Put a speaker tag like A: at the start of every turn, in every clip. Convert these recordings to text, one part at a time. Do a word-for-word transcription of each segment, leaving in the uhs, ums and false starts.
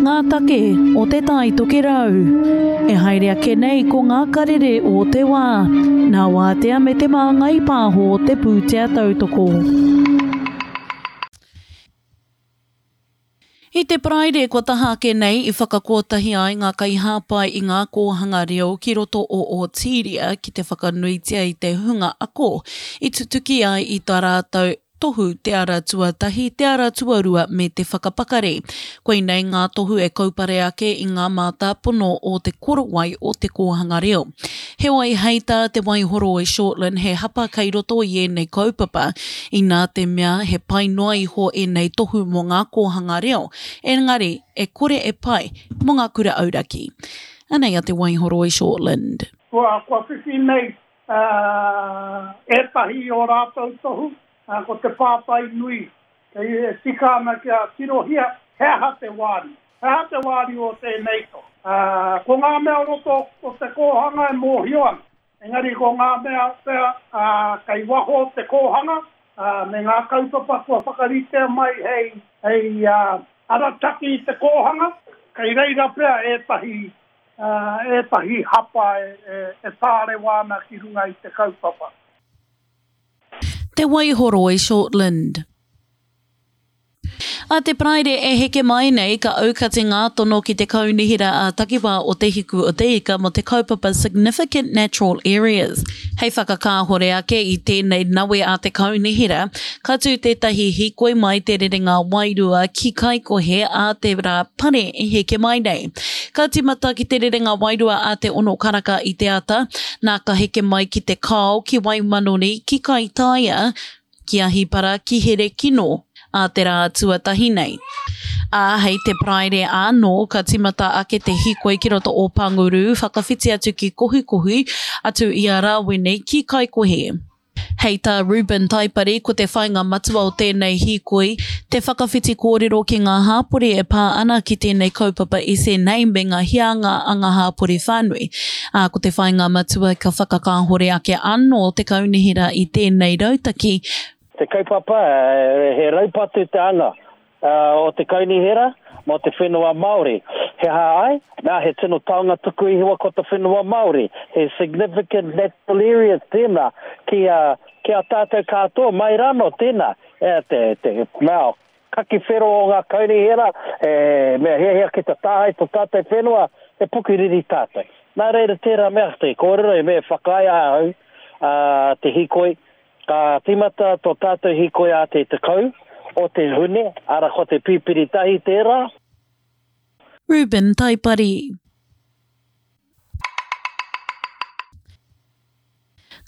A: ngā take o Te Tai Tokerau. E haere ake nei ko ngā karere o te wā, nā Wātea me Te Māngai Pāho te pūtea tautoko. I te Paraire kua taha ake nei i whakakotahi ai ngā kaihāpai i ngā kōhanga reo ki roto o Ōtīria ki te whakanuitia i te hunga ako i tutuki ai i tā rātou tohu te ara tuatahi, te ara tuarua me te whakapakari. Koinei ngā tohu e kaupare ake i ngā mātāpono o te korowai o te kōhanga reo. Heoi, hei tā Te Waihoroi Shortland he hapa kei roto i ēnei kaupapa, inā te mea he pai noa iho ēnei tohu mō ngā kōhanga reo, engari e kore e pai mō ngā kura auraki. Anei a Te Waihoroi Shortland.
B: Kua, kua whiwhi nei uh, ētahi o rātou tohu, uh, ko te pātai nui, kei e tika ana kia tirohia, he aha te wāriu. He aha te wāriu o tēnei tohu. Uh, ko ngā mea o roto o te kōhanga e mōhio ana. Engari ko ngā mea pea uh, kei waho o te kōhanga, uh, me ngā kaupapa kua whakaritea mai hei, hei uh, arataki i te kōhanga, kei reira pea ētahi, uh, ētahi hapa e, e, e tārewa ana ki runga i te kaupapa.
A: Te Waihoroi Shortland. A te Paraire e heke mai nei ka aukati ngā tono ki te kaunihera a takiwā o Te Hiku o Te Ika mō te kaupapa Significant Natural Areas. Hei whakakāhore ake i tēnei nawe a te kaunihera, ka tū tētahi hīkoi mai te rerenga wairua ki Kaikohe a te rā pare e heke mai nei. Ka tīmata ki te rerenga wairua a te ono karaka i te ata, nā ka heke mai ki te Kao, ki Waimanoni, ki Kaitaia, ki Ahipara, ki Herekino, a te rā tuatahi nei. Ā, hei te Paraire anō, ka tīmata ake te hīkoi ki roto o Panguru, whakawhiti atu ki Kohikohi, atu i a Rāwene ki Kaikohe. Hei tā Reuben Taipari, ko te whāinga matua o tēnei hīkoi, te whakawhiti kōrero ki ngā hāpori e pā ana ki tēnei kaupapa S N A me ngā hianga a ngā hāpori whānui. Ā, ko te whāinga matua ka whakakāhore ake anō te kaunihera i tēnei rautaki.
C: Te kaupapa, he raupatu te anga o te kaunihera mō te whenua Māori. He aha ai? Nā, he tino taonga tuku iho ko te whenua Māori. He significant natural areas tēnā ki a, ki a tātou katoa, mai rano tēnā. E, te, te mea, kaki whero o ngā kaunihera, e, mea hiahia ki te tāhei tō tātou whenua, he pukuriri tātou. Nā reira tērā mea te kōrero, e mea whakaae ahau, a, te hīkoi. Ka tīmata tō tātou hīkoi a te tekau o te Hune, ara ko te pipiri tahi tērā.
A: Reuben Taipari.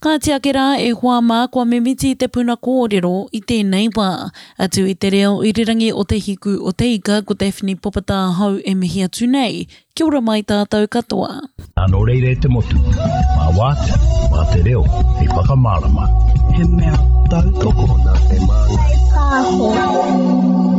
A: Kāti ake rā e hoa mā kua mimiti te puna kōrero i tēnei wā. Atu i te reo irirangi o Te Hiku o Te Ika, ko Daphne Popatāhau e mihi atu nei. Kia ora mai tātou katoa.
D: Nā reira e te motu, mā wātea, mā te reo, hei whakamārama.
E: He mea tautoko
D: nā te Māngai
F: Pāho.